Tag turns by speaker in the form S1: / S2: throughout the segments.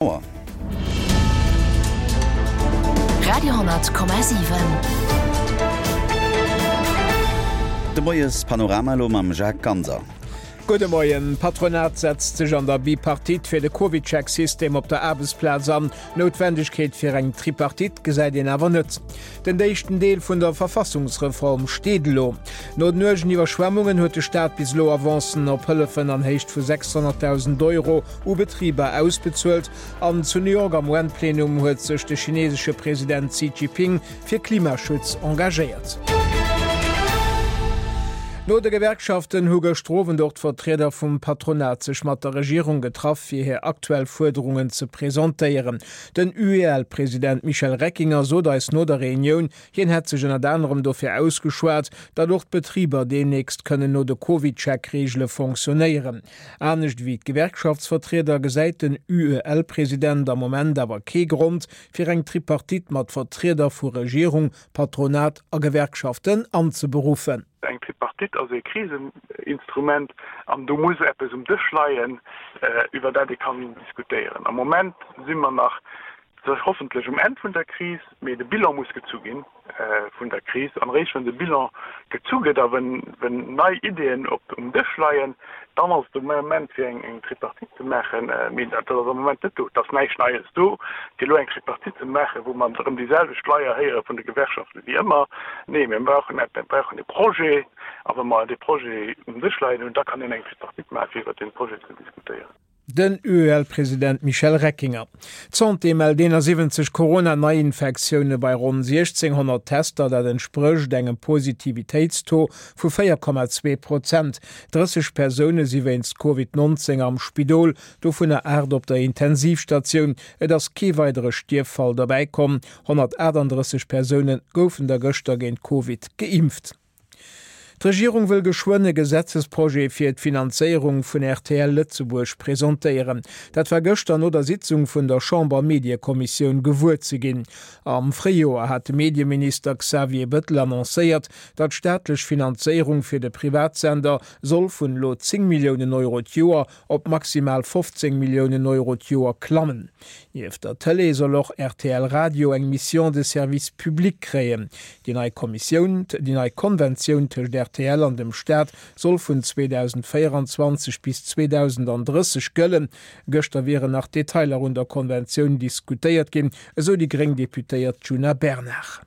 S1: Auer.
S2: Radio,7.
S1: De Moies-Panorama elo mam Jacques Ganser.
S3: Gudde Moien. D'Patronat setzt sech an der Bipartite fir de CovidCheck-System op der Aarbechtsplaz an. D'Noutwendegkeet fir eng Tripartite gesäit een awer net. Den éischten Deel vun der Verfassungsreform steet elo. No den uergen Iwwerschwemmungen huet de Staat bis elo Avancen op Hëllefen an Héicht vu 600.000 Euro u Betriber ausbezuelt. An zu New York am UN-Plenum huet sech de chinesesche President Xi Jinping fir Klimaschutz engagéiert. No de Gewerkschaften hu gëschter Owend och d'Vertrieder vum Patronat sech mat der Regierung getraff, fir hir aktuell Fuerderungen ze presentéieren. Den UEL-President Michel Reckinger sot eis no der Reunioun, Hien hätt sech ënnert anerem dofir ausgeschwat, datt och d'Betriber deemnächst kënnen no de CovidCheck-Reegele fonctionnéieren. Anescht ewéi d'Gewerkschaftsvertrieder gesäit den UEL-President am Moment awer kee Grond, fir eng Tripartite mat Vertrieder vu Regierung, Patronat a Gewerkschaften anzeberuffen.
S4: Eng Tripartite ass ee Kriseninstrument an do muss eppes um Dësch leien, iwwer dat ee kann diskutéieren. Am Moment si mer nach hoffentlech um Enn vun der Kris, mee de Bilan muss gezu gi vun der Kris. An eréischt wann de Bilan gezu gëtt a wenn nei Ideeën um Dësch leien, dann ass et de Moment fir eng Tripartite ze maachen. Mee dat ass am Moment net do. Et ass näischt Neies do, fir elo eng Tripartite ze maachen, wou mer erëm déi selwecht Leier héiere vun de Gewerkschaften wéi ëmmer. Nee, mir brauchen mir brauchen e Projet. A wa mer dee Projet um Dësch leien hunn, da kann een eng Tripartite maachen, fir iwwert dee Projet ze diskutéieren.
S3: Den UEL-President Michel Reckinger. D'Santé mellt 71 Corona-Neiinfektioune bei ronn 1.600 Tester, dat entsprécht engem Positivitéitstaux vu 4,2 Prozent. 30 Persoune si wéinst Covid 19 am Spidol, dovunner 8 op der Intensivstatioun. Et ass kee weidere Stierffall derbäi komm. 138 Persoune goufen der gëschter géint Covid geimpft. D'Regierung wëll geschwënn e Gesetzesprojet fir d'Finanzéierung vun rtl Lëtzebuerg presentéieren. Dat war gëschter no der Sitzung vun der Chamber-Mediekommissioun gewuer ze ginn. Am Fréijoer hat de Medieminister Xavier Bettel annoncéiert, datt d'staatlech Finanzéierung fir de Privatsender soll vun elo 10 Milliounen Euro d'Joer op maximal 15 Milliounen Euro d'Joer klammen. Nieft der Tëlee soll och rtl Radio eng Mission de service public kréien. Déi nei Kommissioun, déi nei Konventioun tëscht rtl an dem Staat soll vun 2024 bis 2030 gëllen. Gëschter wieren nach Detailer un der Konventioun diskutéiert ginn, esou déi gréng Deputéiert Djuna Bernard.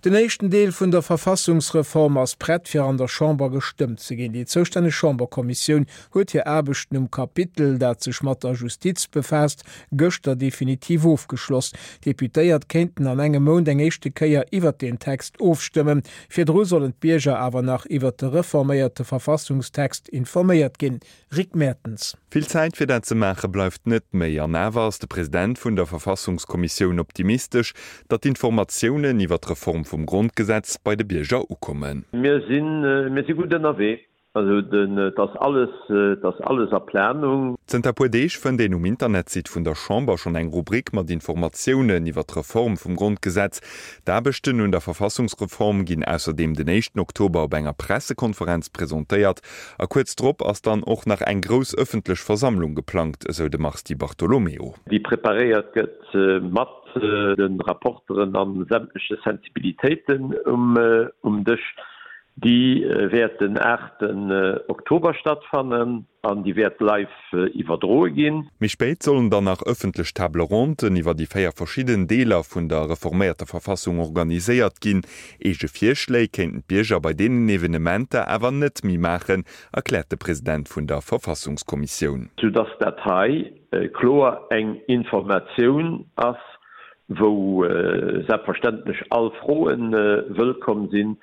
S3: Den éischten Deel vun der Verfassungsreform ass prett fir an der Chamber gestëmmt ze ginn. Déi zoustänneg Chamberkommissioun huet hir Aarbechten um Kapitel, dat sech mat der Justiz befaasst, gëschter definitiv ofgeschloss. D'Deputéiert kéinten an engem Mount eng éischte Kéier iwwert deen Text ofstëmmen. Virdru sollen d'Bierger awer nach iwwert de reforméierte Verfassungstext informéiert ginn. Rick Mertens.
S5: Vill Zäit fir dat ze maache bleift net méi. An awer ass de President vun der Verfassungskommissioun optimistesch, datt d'Informatiounen iwwer d'Reform vum Grondgesetz bei de Bierger ukommen.
S6: Mir sinn, mir si gutt ënnerwee. Also et ass alles, et ass alles a Planung.
S5: Zënter puer Deeg fënnt een um Internetsite vun der Chamber schonn eng Rubrik mat Informatiounen iwwer d'Reform vum Grondgesetz. D'Aarbechten un der Verfassungsreform ginn ausserdeem den éischten Oktober op enger Pressekonferenz presentéiert. A kuerz drop ass dann och nach eng grouss ëffentlech Versammlung geplangt, esou de Mars Di Bartolomeo.
S6: Déi preparéiert gëtt mat de Rapporteren a sämtleche Sensibilitéiten um Dësch. Déi wäert den aachten Oktober stattfannen an déi wäert live iwwerdroe ginn.
S5: Méi spéit sollen dann nach ëffentlech Table ronden iwwer déi 4 verschidden Deeler vun der reforméierter Verfassung organiséiert ginn. Eege Virschléi kéinten d'Bierger bei deenen Evenementer awer net méi maachen, erkläert de President vun der Verfassungskommissioun.
S6: Soudass dat hei kloer eng Informatioun ass, wou selbstverständlech all Froe wëllkomm sinn,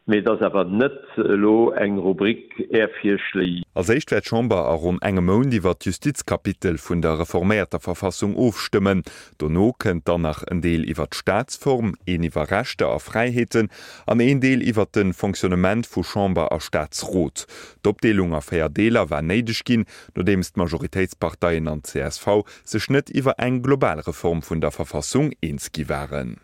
S6: mee et ass awer net elo eng Rubrik Är Virschléi.
S5: Als éischt wäert d'Chamber a ronn engem Mount iwwer d'Justizkapitel vun der reforméierter Verfassung ofstëmmen. Dono kënnt dann nach en Deel iwwer d'Staatsform, een iwwer Rechter a Fräiheeten an een Deel iwwer de Fonctionnement vu Chamber a Staatsrot. D'Opdeelung a 4 Deeler war néideg ginn, nodeems d'Majoritéitsparteien an d'CSV sech net iwwer eng global Reform vun der Verfassung eens gi waren.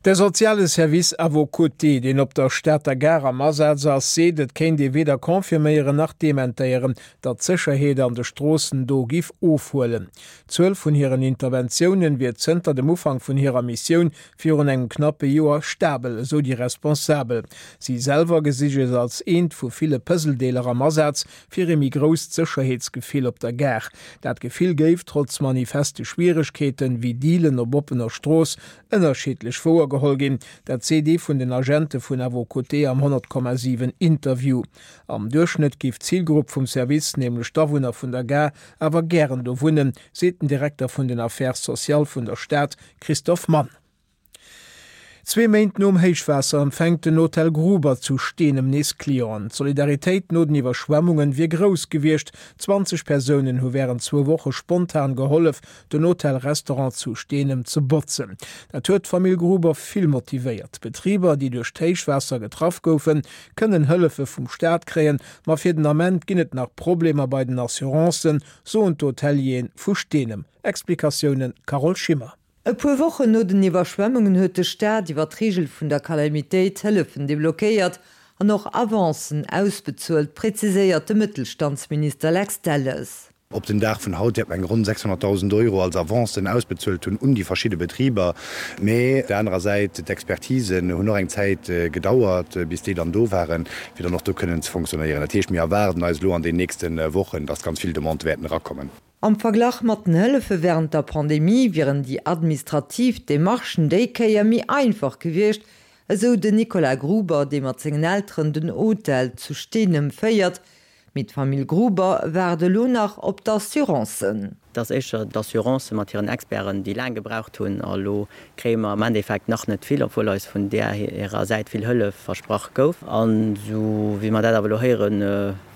S3: De soziale Service À vos côtés, deen op der Stater Gare am Asaz ass, seet, et kéint ee weder confirméieren nach dementéieren, datt d'Sécherheet an de Stroossen do giff ofhuelen. D'Zuel vun hiren Interventiounen wier zënter dem Ufank vun hirer Missioun virun engem knappe Joer stabel, esou déi Responsabel. Si selwer gesi sech als eent vu ville Puzzledeeler am Asaz fir ee méi grousst Sécherheetsgefill op der Gare. Dat Gefill géif, trotz manifeste Schwieregkeeten, wéi Dealen op oppener Strooss, ënnerschiddlech wouergeholl ginn. Dat seet ee vun den Agente vun À vos côtés am 100,7 Interview. Am Duerchschnëtt géif d'Zilgrupp vum Service, nämlech d'Awunner vun der Gare, awer gären do wunnen, seet den Direkter vun den Affaires sociales vun der Stad, Christophe Mann. Zwee Méint nom Héichwaasser empfänkt den Hotel Gruber zu Steenem nees Clienten. D'Solidaritéit no den Iwwerschwemmungen wier grouss gewiescht. 20 Persounen hu wärend zwou Woche spontan gehollef, den Hotel-Restaurant zu Steenem ze botzen. Dat huet d'Famill Gruber vill motivéiert. D'Betriber, déi duerch d'Héichwaasser getraff goufen, kënnen Hëllefe vum Staat kréien, ma fir den Ament ginn et nach Problemer bei den Assurancen, soen d'Hotelieren vu Steenem. Explikatiounen Carole Schimmer.
S2: E puer Wochen no den Iwwerschwemmungen huet de Staat iwwer d'Reegel vun der Calamitéit Hëllefen deblockéiert an och Avancen ausbezuelt, präziséiert de Mëttelstandsminister Lex Delles.
S7: Op den Dag vun haut wäerte mer eng ronn 600.000 Euro als Avancen ausbezuelt hunn un déi verschidde Betriber. Mee op der anerer Säit, d'Expertisen hunn och eng Zäit gedauert, bis déi dann do waren, fir dann och do kënnen ze fonctionnéieren. Dat heescht, mir erwaarden eis elo an den nächste Wochen, dass ganz vill Demandë wäerten erakommen.
S2: Am Verglach mat den Hëllefe wärend der Pandemie wieren déi administrativ Demarchen déi Kéier méi einfach gewiescht, esou den Nicolas Gruber, dee mat sengen Elteren den Hotel zu Steenem féiert. Mee d'Famill Gruber waart elo nach op d'Assurancen.
S8: Et ass éischter d'Assurance mat hiren Experten, déi laang gebraucht hunn. A elo kréie mer am Endeffekt nach net vill, obwuel eis vun där hirer Säit vill Hëllef versprach gouf. An esou wéi mer dat awer elo héiere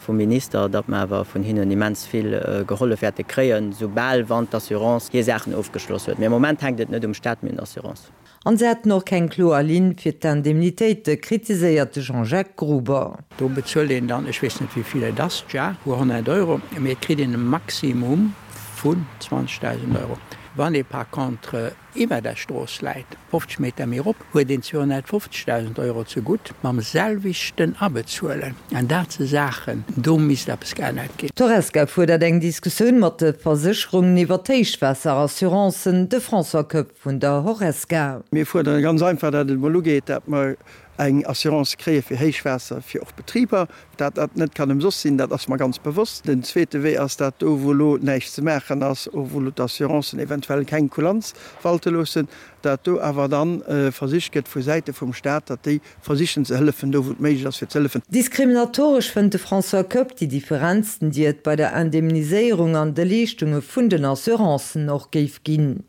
S8: vum Minister, datt mer awer vun hinnen immens vill gehollef wäerte kréien, soubal wann d'Assurance hir Saachen ofgeschloss huet. Mee am Moment hänkt et net um Staat, mee un der Assurance.
S2: An se hätten och keng kloer Linn fir d'Indemnitéite, kritiséiert de Jean-Jacques Gruber.
S9: Do bezuelt een dann, ech weess net wéi vill et ass, tja, puer 100 Euro, mee et kritt een e Maximum vun 20.000 Euro. Wann ee par contre iwwer der Strooss läit, 50 Meter méi erop, huet een 250.000 Euro zegutt, mam selwechten Abezuelen. An dat si Saachen, do misst eppes geännert ginn.
S2: D'Horesca fuerdert eng Diskussioun mat de Versécherungen iwwer d'Héichwaasser-Assurancen. De François Koepp Vun der Horesca.
S10: Mir fuerdere ganz einfach, datt et emol ugeet, datt mer eng Assurance kréie fir Héichwaasser fir och Betriber. Dat dat net kann ëmsoss sinn, dat ass mer ganz bewosst. Den zweete Wee ass dat do, wou elo näischt ze maachen ass, wou elo d'Assurancen eventuell keng Kulanz walte loossen, dat do awer da versicht gëtt vu Säite vum Stat, datt déi versichen ze hëllefen, do wou et méiglech ass fir ze hëllefen.
S2: Diskriminatoresch fënnt de François Koepp déi Differenzen, déi et bei der Indemniséierung an de Leeschtunge vun den Assurancen och géif ginn.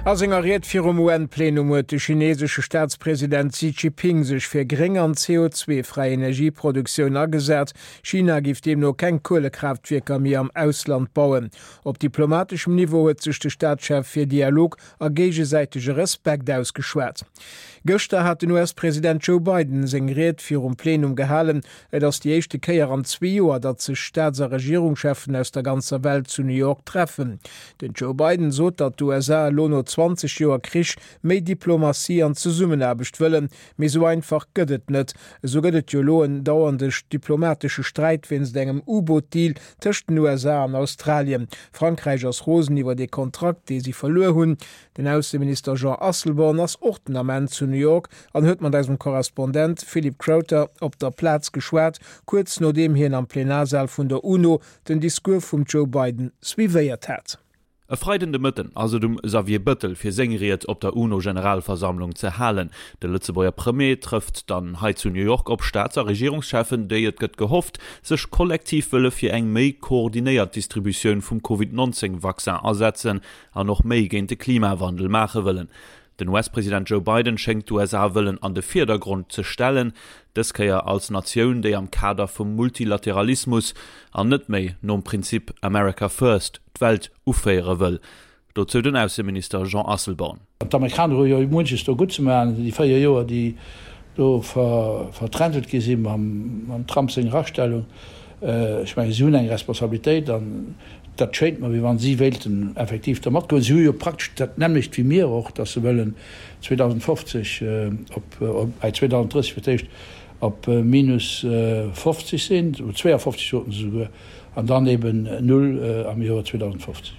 S3: A senger Ried virum UN-Plenum huet de chinesesche Staatspresident Xi Jinping sech fir gréng an CO2-fräi Energieproduktioun agesat. China géif deemno keng Kuelekraaftwierker méi am Ausland bauen. Op diplomateschem Niveau huet sech de Staatschef fir Dialog a géigesäitege Respekt ausgeschwat. Gëschter hat den US-President Joe Biden seng Ried virum Plenum gehalen. Et ass déi éischte Kéier an zwee Joer, datt sech Staats a Regierungscheffen aus der ganzer Welt zu New York treffen. Den Joe Biden sot, datt d'USA elo no 20 Joer Krich méi Diplomatie an Zesummenaarbecht wëllen. Mee esou einfach gëtt et net. Esou gëtt et jo elo en dauernde diplomatesche Sträit wéinst engem U-Boot-Deal tëscht den USA an Australien. Frankräich ass rosen iwwer ee Kontrakt, dee si verluer hunn. Den Ausseminister Jean Asselborn ass och den Ament zu New York an huet mat eisem Korrespondent Philippe Crowther op der Plaz geschwat, kuerz nodeem hien am Plenarsaal vun der UNO den Discours vum Joe Biden suivéiert hat.
S11: E Freiden de Mëtten ass et um Xavier Bëttel fir seng Ried op der UNO-Generalversammlung ze halen. De Lëtzebuerger Premier trëfft dann hei zu New York op Staats a Regierungscheffen, déi, et gëtt gehofft, sech kollektiv wëlle fir eng méi koordinéiert Distributioun vum Covid 19 Vaccin asetzen an och méi géint de Klimawandel maache wëllen. Den US-President Joe Biden schéngt d'USA wëllen an de Virdergrond ze stellen, dës Kéier als Natioun, déi am Kader vum Multilateralismus an net méi nom Prinzip America First d'Welt uféiere wëll. Dozou den Ausseminister Jean Asselborn.
S12: D'Amerikaner hu jo munches do gutt ze maachen, déi 4 Joer, déi do vertrentelt gi si mam Trump senger Astellung. Ech mengen, si hunn eng Responsabilitéit an. Dat schéint mer, wéi wa si wéilten effektiv do matgoen. Si hu jo praktesch dat nämmlecht wéi mir och, dass se wëllen 2050 op, bei 2030 fir d'éischt op minus 50 sinn, 52 soten se souguer, an dann eben null am Joer 2050.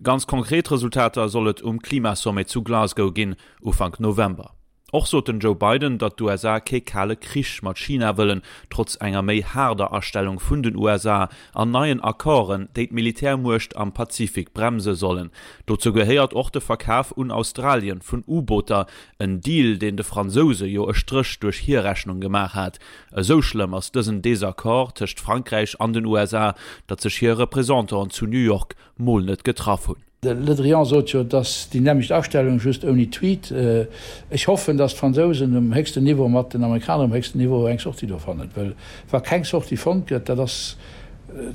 S11: Ganz konkret Resultater soll et um Klimasommet zu Glasgow ginn, Ufank November. Och sot den Joe Biden, datt d'USA kee kale Krich mat China wëllen, trotz enger méi haarder Astellung vun den USA an neien Accorden, déi d'Militärmuecht am Pazifik bremse sollen. Dozou gehéiert och de Verkaf un Australien vun U-Booter, en Deal, deen de Fransouse jo e Stréch duerch hir Rechnung gemaach hat. Esou schlëmm ass dësen Desaccord tëscht Frankräich an den USA, datt sech hir Representanten zu New York mol net getraff hunn.
S12: De Le Drian sot jo, et ass déi nämmlecht Astellung, just ouni Tweet. Ech hoffen, datt d'Fransousen um héchsten Niveau mat den Amerikaner um héchsten Niveau eng Sortie do fannen, well wa keng Sortie fonnt gëtt, dat ass,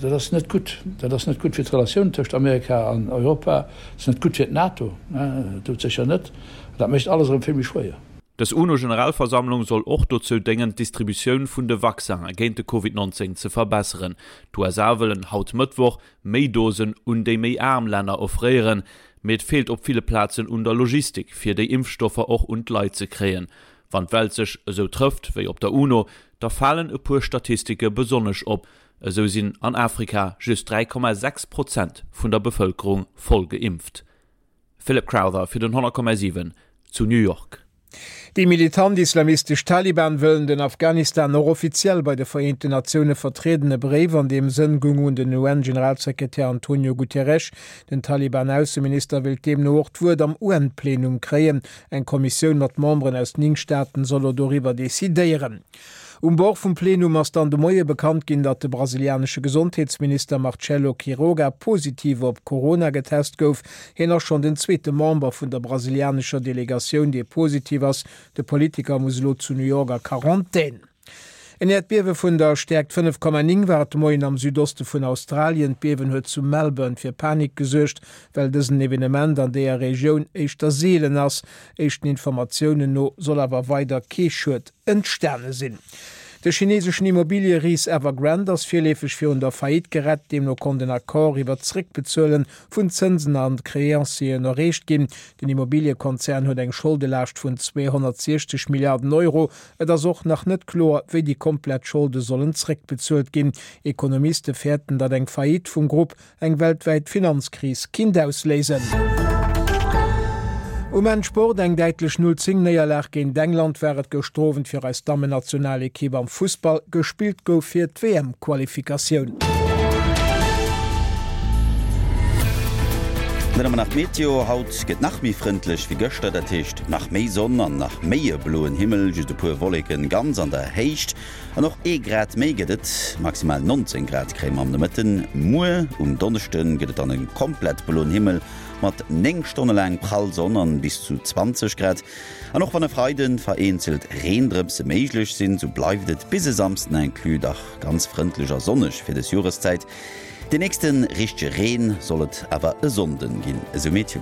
S12: dat ass net gutt. Dat ass net gutt fir d'Relatiounen tëscht Amerika an Europa, dat ass net gutt fir d'NATO, doudsécher net, an dat mécht alles erëm vill méi schwéier.
S11: Dës UNO-Generalversammlung soll och dozou déngen, d'Distributioun vun de Vaccinen géint de Covid 19 ze verbesseren. D'USA wëllen haut Mëttwoch méi Dosen un déi méi aarm Länner offréieren, mee et feelt op ville Plazen un der Logistik, fir déi Impfstoffer och un d'Leit ze kréien. Wann d'Welt sech esou trëfft wéi op der UNO, da falen e puer Statistike besonnesch op, Esou sinn an Afrika just 3,6 Prozent vun der Bevëlkerung voll geimpft. Philip Crowther fir den 100,7 zu New York.
S3: Déi militant islamistesch Taliban wëllen den Afghanistan och offiziell bei de Vereenten Natioune vertrieden. E Bréif an deem Sënn goung un den UN-Generalsekretär Antonio Guterres. Den Taliban-Ausseminister wéilt deemno och d'Wuert am UN-Plenum kréien. Eng Kommissioun mat Memberen aus 9 Staaten soll elo doriwwer decidéieren. Um Bord vum Plenum ass dann de Moie bekannt ginn, datt de brasilianesche Gesondheetsminister Marcelo Quiroga positiv op Corona getest gouf. Hien ass schonn den zweete Member vun der brasilianescher Delegatioun, dee positiv ass. De Politiker muss elo zu New York a Quarantän. En Äerdbiewe vun der Stäerkt 5,9 war et de Moien am Südoste vun Australien. D'Biewen huet zu Melbourne fir Panik gesuergt, well dësen Evenement an deeër Regioun éischter seelen ass. Éischten Informatiounen no soll awer weider kee Schued entstane sinn. De chineseschen Immobilieris Evergrande ass virleefeg virun der Faillite gerett. Deemno konnt en Accord iwwer d'Zeréckbezuele vun Zënsen an Creancieren erreecht ginn. Den Immobiliekonzern huet eng Scholdelaascht vun 260 Milliarden Euro. Et ass och nach net kloer, wéi déi komplett Scholde sollen zeréckbezuelt ginn. Ekonomiste fäerten, datt eng Faillite vum Grupp Eng weltwäit Finanzkris kinnt ausléisen. Um Enn Sport, Eng däitlech 0, 10 Néierlag géint England war et gëschter Owend fir eis Dammennationalekipp am Fussball. Gespillt gouf fir d'WM-Qualifikatioun.
S1: Dann hu mer nach d'Meteo, Haut gëtt nach méi frëndlech wéi gëschter, dat heescht nach méi Sonn an nach méi e bloen Himmel, just e puer Wolleken ganz an der Héicht. An och ee Grad méi gëtt et, maximal 19 Grad kréie mer am Nomëtten. Muer um Donneschde gëtt et dann e komplett bloen Himmel mat 9 Stonne laang prall Sonn an bis zu 20 Grad. An och wann e Freide vereenzelt Reendrëpse méiglech sinn, sou bleift et bis e Samsden inclus dach ganz frëndlech a sonneg fir des Joreszäit. De nächste richtege Reen soll et awer e Sonnden ginn, esou Meteo.